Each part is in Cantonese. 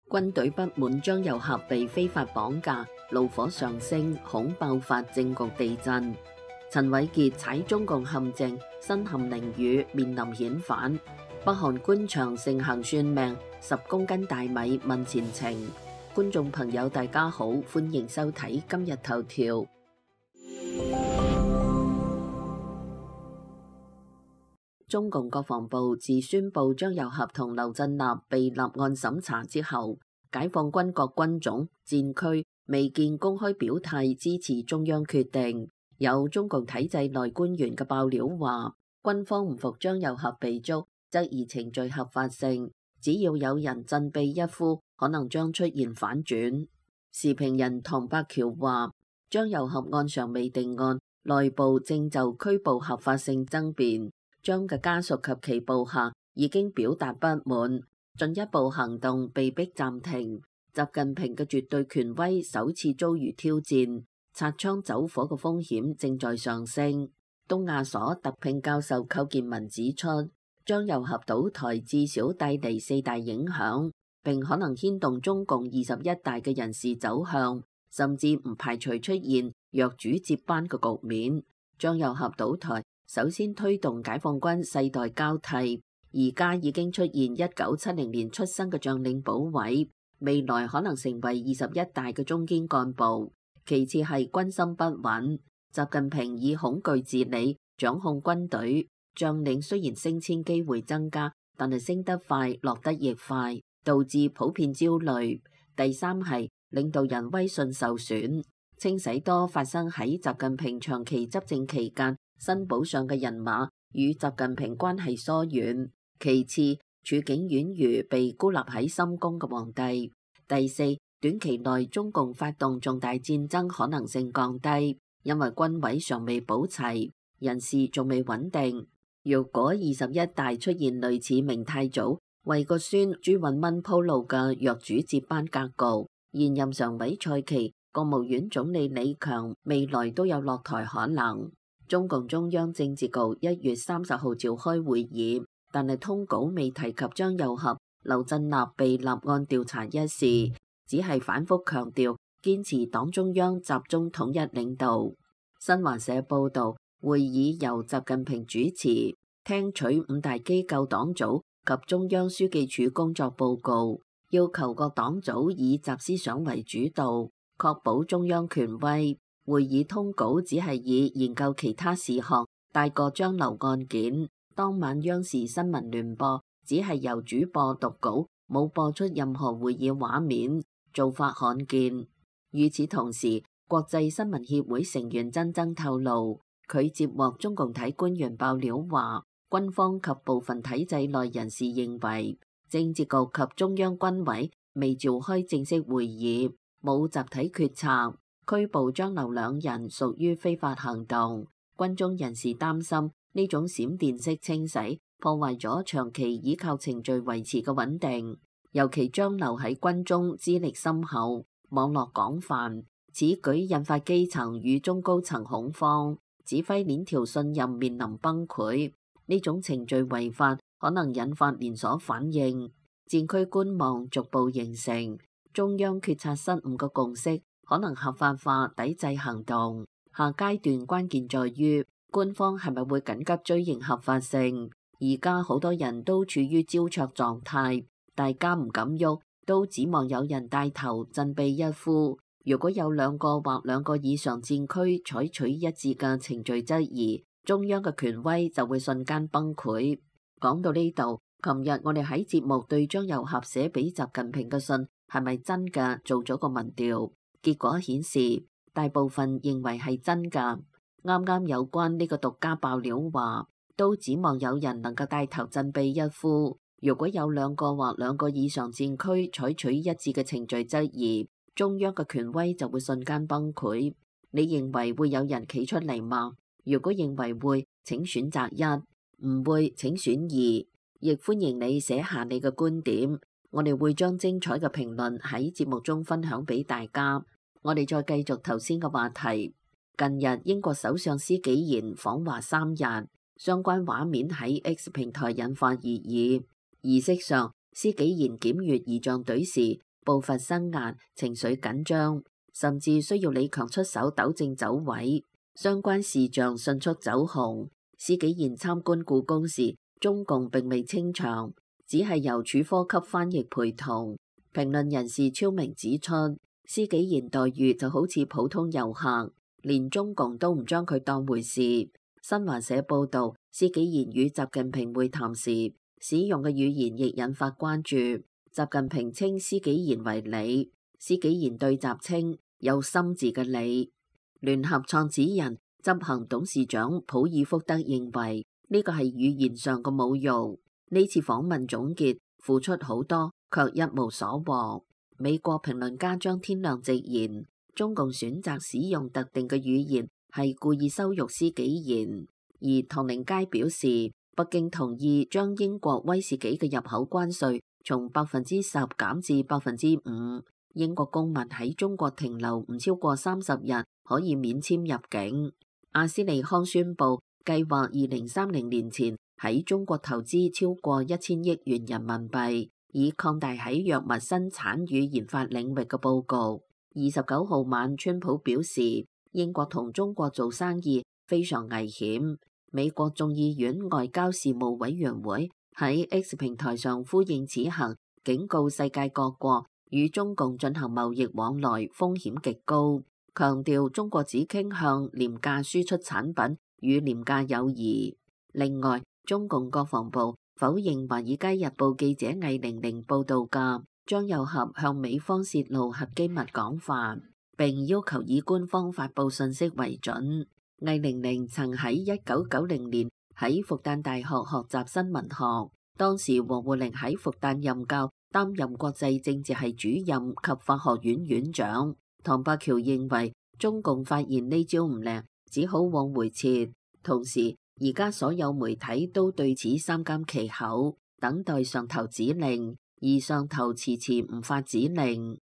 軍隊不滿張又俠被非法綁架，怒火上升，恐爆發政局地震。陳偉傑踩中共陷阱，身陷囹圄，面臨遣返。北韓官場盛行算命，10公斤大米問前程。觀眾朋友大家好，歡迎收睇今日頭條。中共國防部自宣布張又俠同劉振立被立案審查之後，解放軍各軍種戰區未見公開表態支持中央決定。有中共體制內官員嘅爆料話，軍方唔服張又俠被捉，質疑程序合法性，只要有人振臂一呼，可能將出現反轉。時評人唐伯橋話，張又俠案尚未定案，內部正就拘捕合法性爭辯。張嘅家屬及其部下已經表達不滿，進一步行動被迫暫停。習近平嘅絕對權威首次遭遇挑戰，擦槍走火嘅風險正在上升。東亞所特聘教授寇建文指出，張又俠倒台至少帶嚟4大影響，並可能牽動中共21大嘅人事走向，甚至唔排除出現弱主接班嘅局面。張又俠倒台首先推動解放軍世代交替，而家已經出現1970年出生嘅將領補位，未來可能成為21大嘅中堅幹部。其次係軍心不穩，習近平以恐懼治理掌控軍隊，將領雖然升遷機會增加，但係升得快落得亦快，導致普遍焦慮。第三係領導人威信受損，清洗多發生喺習近平長期執政期間新保上嘅人馬與習近平關係疏遠。其次，處境宛如被孤立喺深宮嘅皇帝。第四，短期內中共發動重大戰爭可能性降低，因為軍委尚未補齊，人事仲未穩定。如果21大出現類似明太祖為個孫朱允炆鋪路嘅弱主接班格局，現任常委蔡奇、國務院總理李強未來都有落台可能。中共中央政治局1月30號召開會議，但係通稿未提及張又俠、劉振立被立案調查一事，只係反覆強調堅持黨中央集中統一領導。新華社報道，會議由習近平主持，聽取5大機構黨組及中央書記處工作報告，要求各黨組以習思想為主導，確保中央權威。會議通稿只係以研究其他事項帶過張劉案件。當晚央視新聞聯播只係由主播讀稿，冇播出任何會議畫面，做法罕見。與此同時，國際新聞協會成員曾增透露，佢接獲中共體官員爆料話，軍方及部分體制內人士認為，政治局及中央軍委未召開正式會議，冇集體決策。拘捕張劉兩人屬於非法行動，軍中人士擔心呢種閃電式清洗破壞咗長期依靠程序維持嘅穩定，尤其張劉喺軍中資歷深厚，網絡廣泛，此舉引發基層與中高層恐慌，指揮鏈條信任面臨崩潰。呢種程序違法可能引發連鎖反應，戰區觀望逐步形成，中央決策失誤嘅共識可能合法化抵制行動。下階段關鍵在於官方係咪會緊急追認合法性。而家好多人都處於焦灼狀態，大家唔敢喐，都指望有人帶頭振臂一呼。如果有2個或2個以上戰區採取一致嘅程序質疑，中央嘅權威就會瞬間崩潰。講到呢度，琴日我哋喺節目對張又俠寫俾習近平嘅信係咪真嘅做咗個民調，結果顯示大部分認為係真㗎。啱啱有關呢個獨家爆料話，都指望有人能夠帶頭振臂一呼。如果有2個或2個以上戰區採取一致嘅程序質疑，中央嘅權威就會瞬間崩潰。你認為會有人企出嚟嗎？如果認為會，請選擇1；唔會，請選2。亦歡迎你寫下你嘅觀點，我哋會將精彩嘅評論喺節目中分享俾大家。我哋再繼續頭先嘅話題。近日英國首相施紀賢訪華3日，相關畫面喺 X 平台引發熱議。儀式上，施紀賢檢閱儀仗隊時，步伐生硬，情緒緊張，甚至需要李強出手糾正走位。相關事項迅速走紅。施紀賢參觀故宮時，中共並未清場，只係由處科級翻譯陪同。評論人士超明指出，施紀賢待遇就好似普通遊客，連中共都唔將佢當回事。新華社報道，施紀賢與習近平會談時使用嘅語言亦引發關注。習近平稱施紀賢為李，施紀賢對習稱有心字嘅李。聯合創始人、執行董事長普爾福德認為呢個係語言上嘅侮辱。呢次訪問總結，付出好多，卻一無所獲。美國評論家張天亮直言，中共選擇使用特定嘅語言係故意羞辱施紀賢。而唐寧街表示，北京同意將英國威士忌嘅入口關稅從10%減至5%。英國公民喺中國停留唔超過30日可以免簽入境。阿斯利康宣布計劃2030年前喺中國投資超過1000億元人民幣，以擴大喺藥物生產與研發領域嘅佈局。29號晚，川普表示英國同中國做生意非常危險。美國眾議院外交事務委員會喺 X 平台上呼應此行，警告世界各國與中共進行貿易往來風險極高，強調中國只傾向廉價輸出產品與廉價友誼。另外，中共國防部否認《華爾街日報》記者魏玲玲報道嘅張又俠向美方泄露核機密講法，並要求以官方發布信息為準。魏玲玲曾喺1990年喺復旦大學學習新聞學，當時王滬寧喺復旦任教，擔任國際政治系主任及法學院院長。唐伯橋認為中共發現呢招唔靚，只好往回撤。同時，而家所有媒體都對此三緘其口，等待上頭指令，而上頭遲遲唔發指令。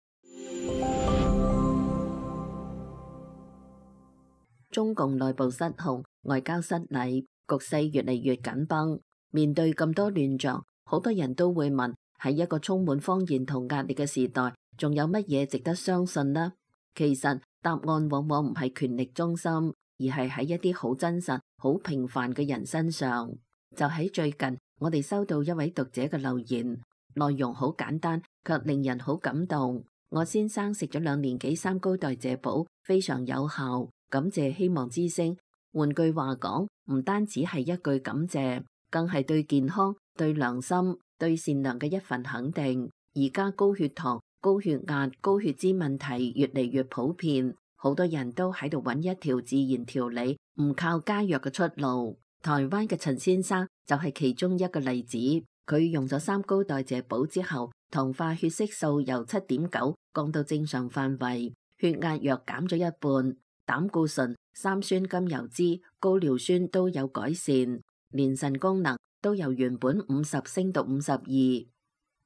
中共內部失控，外交失禮，局勢越嚟越緊繃。面對咁多亂象，好多人都會問：喺一個充滿謊言同壓力嘅時代，仲有乜嘢值得相信呢？其實答案往往唔係權力中心，而係喺一啲好真實、好平凡嘅人身上。就喺最近，我哋收到一位讀者嘅留言，內容好簡單，卻令人好感動。我先生食咗2年幾三高代謝寶，非常有效。感謝希望之聲。換句話講，唔單止係一句感謝，更係對健康、對良心、對善良嘅一份肯定。而家高血糖、高血壓、高血脂問題越嚟越普遍，好多人都喺度揾一條自然調理、唔靠加藥嘅出路。台灣嘅陳先生就係其中一個例子。佢用咗3高代謝寶之後，糖化血色素由7.9降到正常範圍，血壓藥減咗一半。膽固醇、三酸甘油酯、高尿酸都有改善，連腎功能都由原本50升到52。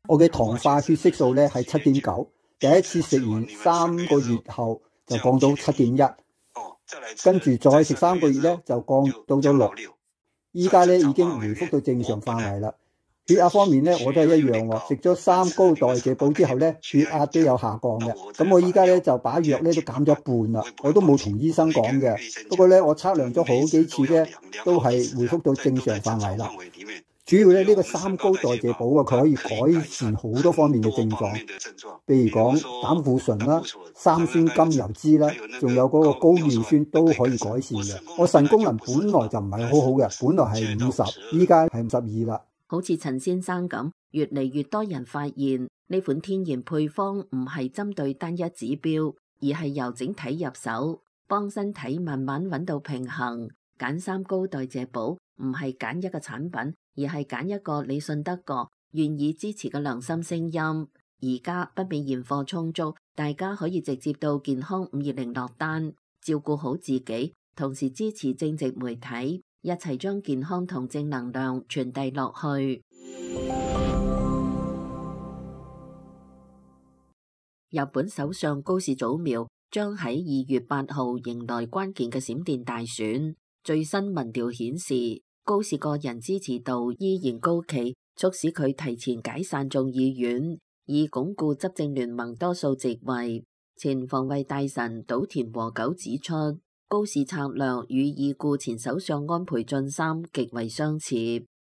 我嘅糖化血色素咧係7.9，第一次食完3個月後就降到7.1，跟住再食3個月咧就降到咗6，依家咧已經回復到正常範圍啦。血壓方面咧，我都係一樣喎。食咗3高代謝寶之後咧，血壓都有下降嘅。咁我依家咧就把藥咧都減咗一半啦。我都冇同醫生講嘅。不過咧，我測量咗好幾次咧，都係回復到正常範圍啦。主要咧呢個3高代謝寶啊，佢可以改善好多方面嘅症狀，譬如講膽固醇啦、三酸甘油酯啦，仲有嗰個高尿酸都可以改善嘅。我腎功能本來就唔係好好嘅，本來係50，依家係52啦。好似陳先生咁，越嚟越多人發現呢款天然配方唔係針對單一指標，而係由整體入手，幫身體慢慢揾到平衡。揀3高代謝寶唔係揀一個產品，而係揀一個你信得過、願意支持嘅良心聲音。而家不免現貨充足，大家可以直接到健康520落單，照顧好自己，同時支持正直媒體，一齊將健康同正能量傳遞落去。日本首相高市早苗將喺2月8號迎來關鍵嘅閃電大選。最新民調顯示，高市個人支持度依然高企，促使佢提前解散眾議院。以鞏固執政聯盟多數席位。前防衛大臣島田和久指出，高市策略與已故前首相安倍晉三極為相似。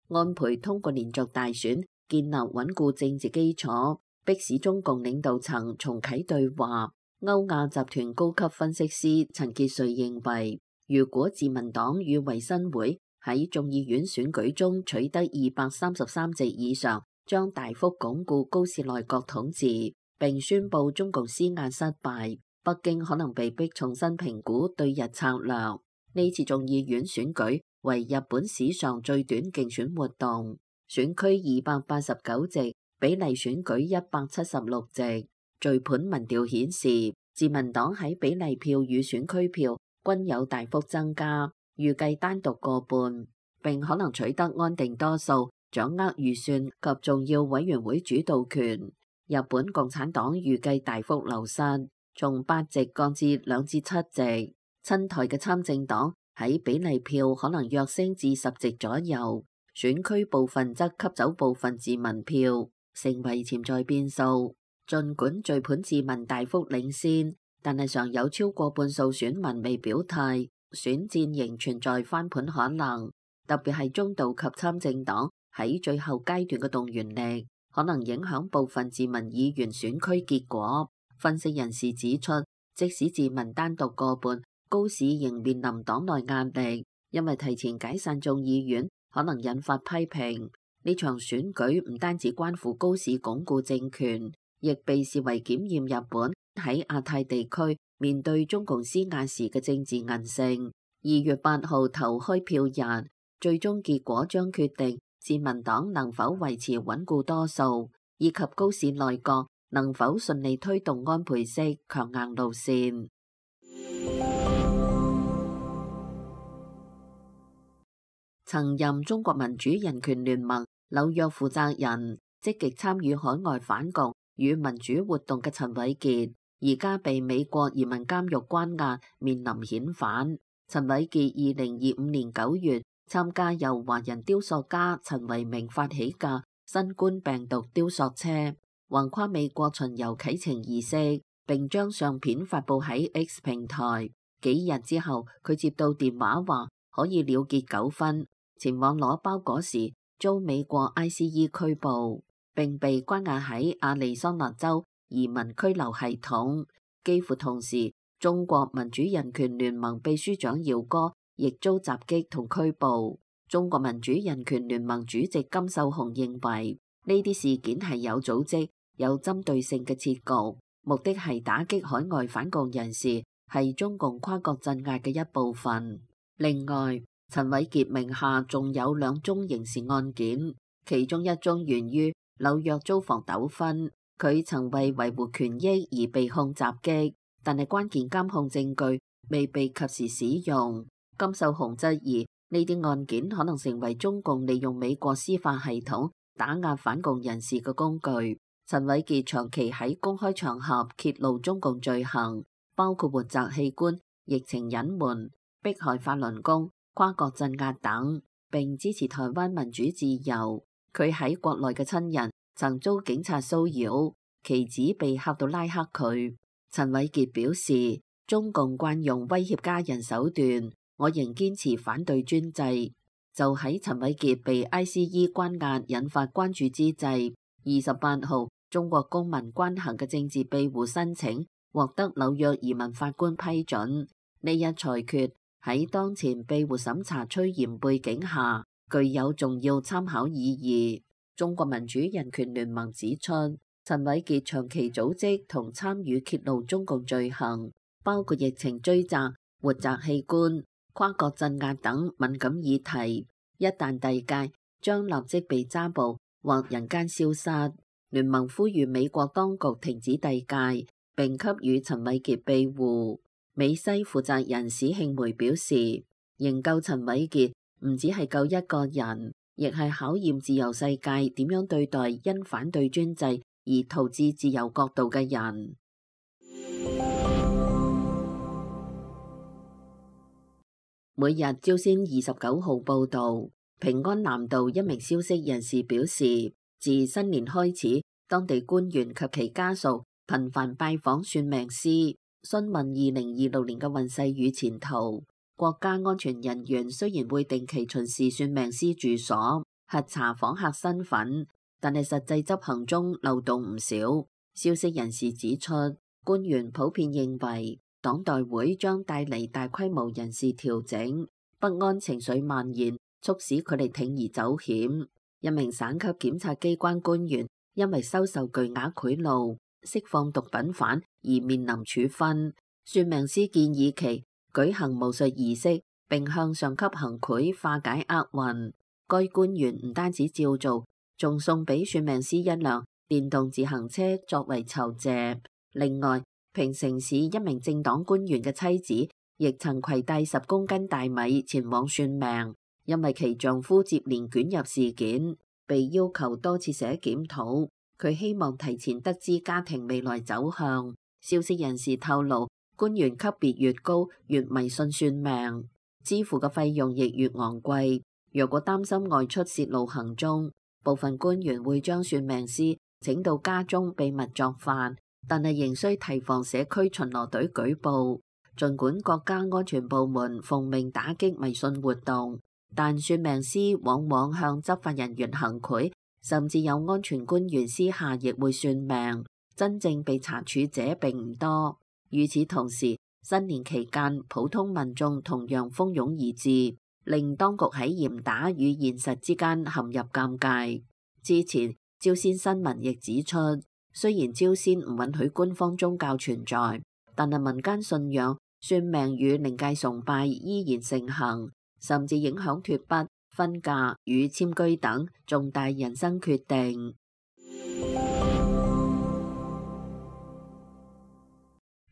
安倍通過連續大選建立穩固政治基礎，迫使中共領導層重啟對話。歐亞集團高級分析師陳傑瑞認為，如果自民黨與維新會喺眾議院選舉中取得233席以上，將大幅鞏固高市內閣統治，並宣布中共施壓失敗，北京可能被迫重新評估對日策略。呢次眾議院選舉為日本史上最短競選活動，選區289席，比例選舉176席。序盤民調顯示，自民黨喺比例票與選區票均有大幅增加，預計單獨過半，並可能取得安定多數，掌握預算及重要委員會主導權。日本共產黨預計大幅流失，從8席降至2至7席。親台嘅參政黨喺比例票可能躍升至10席左右，選區部分則吸走部分自民票，成為潛在變數。儘管序盤自民大幅領先，但係尚有超過半數選民未表態，選戰仍存在翻盤可能。特別係中道及參政黨喺最後階段嘅動員力，可能影響部分自民議員選區結果。分析人士指出，即使自民單獨過半，高市仍面臨黨內壓力，因為提前解散眾議院可能引發批評。呢場選舉唔單止關乎高市鞏固政權，亦被視為檢驗日本喺亞太地區面對中共施壓時嘅政治韌性。2月8號投開票日，最終結果將決定自民黨能否維持穩固多數，以及高市內閣能否順利推動安倍式強硬路線。曾任中國民主人權聯盟紐約負責人、積極參與海外反共與民主活動嘅陳偉傑，而家被美國移民監獄關押，面臨遣返。陳偉傑2025年9月參加由華人雕塑家陳維明發起嘅新冠病毒雕塑車，橫跨美國巡遊啟程儀式，並將相片發布喺 X 平台。幾日之後，佢接到電話話可以了結糾紛，前往攞包裹時遭美國 ICE 拘捕，並被關押喺亞利桑那州移民拘留系統。幾乎同時，中國民主人權聯盟秘書長姚哥亦遭襲擊同拘捕。中國民主人權聯盟主席金秀雄認為，呢啲事件係有組織、有針對性嘅設局，目的係打擊海外反共人士，係中共跨國鎮壓嘅一部分。另外，陳偉傑名下仲有2宗刑事案件，其中一宗源於紐約租房糾紛，佢曾為維護權益而被控襲擊，但係關鍵監控證據未被及時使用。金秀雄質疑呢啲案件可能成為中共利用美國司法系統打壓反共人士嘅工具。陳偉傑長期喺公開場合揭露中共罪行，包括活摘器官、疫情隱瞞、迫害法輪功、跨國鎮壓等，並支持台灣民主自由。佢喺國內嘅親人曾遭警察騷擾，其子被嚇到拉黑佢。陳偉傑表示，中共慣用威脅家人手段，我仍堅持反對專制。就喺陳偉傑被 ICE 關押引發關注之際，28號中國公民關行嘅政治庇護申請獲得紐約移民法官批准。呢一裁決喺當前庇護審查趨嚴背景下，具有重要參考意義。中國民主人權聯盟指出，陳偉傑長期組織同參與揭露中共罪行，包括疫情追責、活摘器官、跨國鎮壓等敏感議題，一旦遞解，將立即被抓捕或人間消失。聯盟呼籲美國當局停止遞解，並給予陳偉傑庇護。美西負責人史慶梅表示，營救陳偉傑唔只係救一個人，亦係考驗自由世界點樣對待因反對專制而逃至自由國度嘅人。每日朝鮮29號報導，平安南道一名消息人士表示，自新年開始，當地官員及其家屬頻繁拜訪算命師，詢問2026年嘅運勢與前途。國家安全人員雖然會定期巡視算命師住所，核查訪客身份，但係實際執行中漏洞唔少。消息人士指出，官員普遍認為黨代會將帶嚟大規模人事調整，不安情緒蔓延，促使佢哋鋌而走險。一名省級檢察機關官員因為收受巨額賄賂、釋放毒品犯而面臨處分。算命師建議其舉行巫術儀式，並向上級行賄化解厄運。該官員唔單止照做，仲送俾算命師一輛電動自行車作為酬謝。另外，平城市一名政黨官員嘅妻子亦曾攜帶10公斤大米前往算命，因為其丈夫接連捲入事件，被要求多次寫檢討。佢希望提前得知家庭未來走向。消息人士透露，官員級別越高，越迷信算命，支付嘅費用亦越昂貴。若果擔心外出泄露行蹤，部分官員會將算命師請到家中秘密作法，但係仍需提防社區巡邏隊舉報。儘管國家安全部門奉命打擊迷信活動，但算命師往往向執法人員行賄，甚至有安全官員私下亦會算命，真正被查處者並唔多。與此同時，新年期間普通民眾同樣蜂擁而至，令當局喺嚴打與現實之間陷入尷尬。之前朝鮮新聞亦指出，雖然朝鮮唔允許官方宗教存在，但係民間信仰、算命與靈界崇拜依然盛行，甚至影響脫北、婚嫁與遷居等重大人生決定。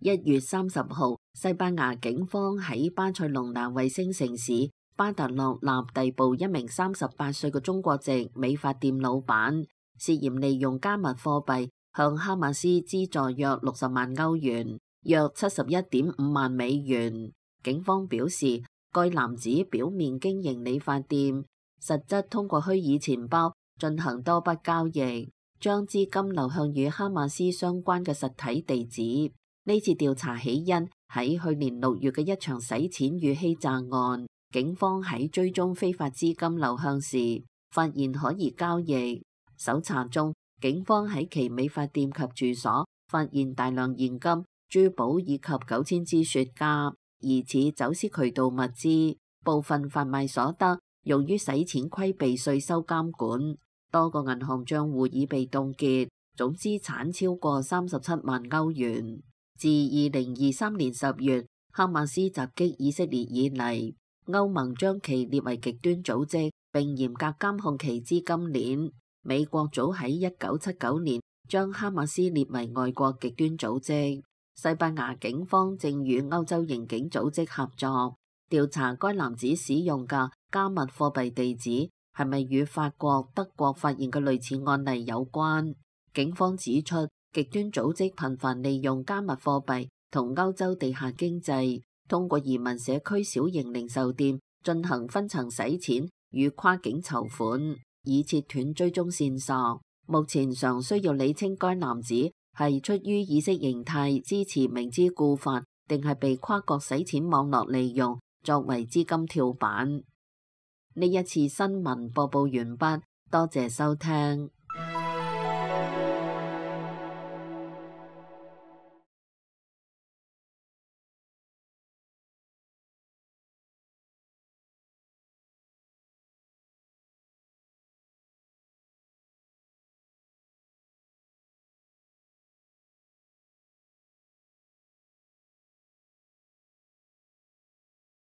1月30號，西班牙警方喺巴塞隆拿衛星城市巴特洛納逮捕一名38歲嘅中國籍美髮店老闆，涉嫌利用加密貨幣向哈馬斯資助約60萬歐元，約71.5萬美元。警方表示，該男子表面經營理髮店，實質通過虛擬錢包進行多筆交易，將資金流向與哈馬斯相關嘅實體地址。呢次調查起因喺去年6月嘅一場洗錢與欺詐案。警方喺追蹤非法資金流向時，發現可疑交易。搜查中，警方喺其美髮店及住所發現大量現金、珠寶以及9000支雪茄，疑似走私渠道物資。部分販賣所得用於洗錢規避稅收監管。多個銀行賬戶已被凍結，總資產超過37萬歐元。自2023年10月哈馬斯襲擊以色列以嚟，歐盟將其列為極端組織，並嚴格監控其資金鏈。美國早喺1979年將哈馬斯列為外國極端組織。西班牙警方正與歐洲刑警組織合作，調查該男子使用嘅加密貨幣地址係咪與法國、德國發現嘅類似案例有關。警方指出，極端組織頻繁利用加密貨幣同歐洲地下經濟，通過移民社區小型零售店進行分層洗錢與跨境籌款，以切斷追蹤線索。目前尚需要理清該男子係出於意識形態支持明知故犯，定係被跨國洗錢網絡利用作為資金跳板。呢一次新聞播報完畢，多謝收聽。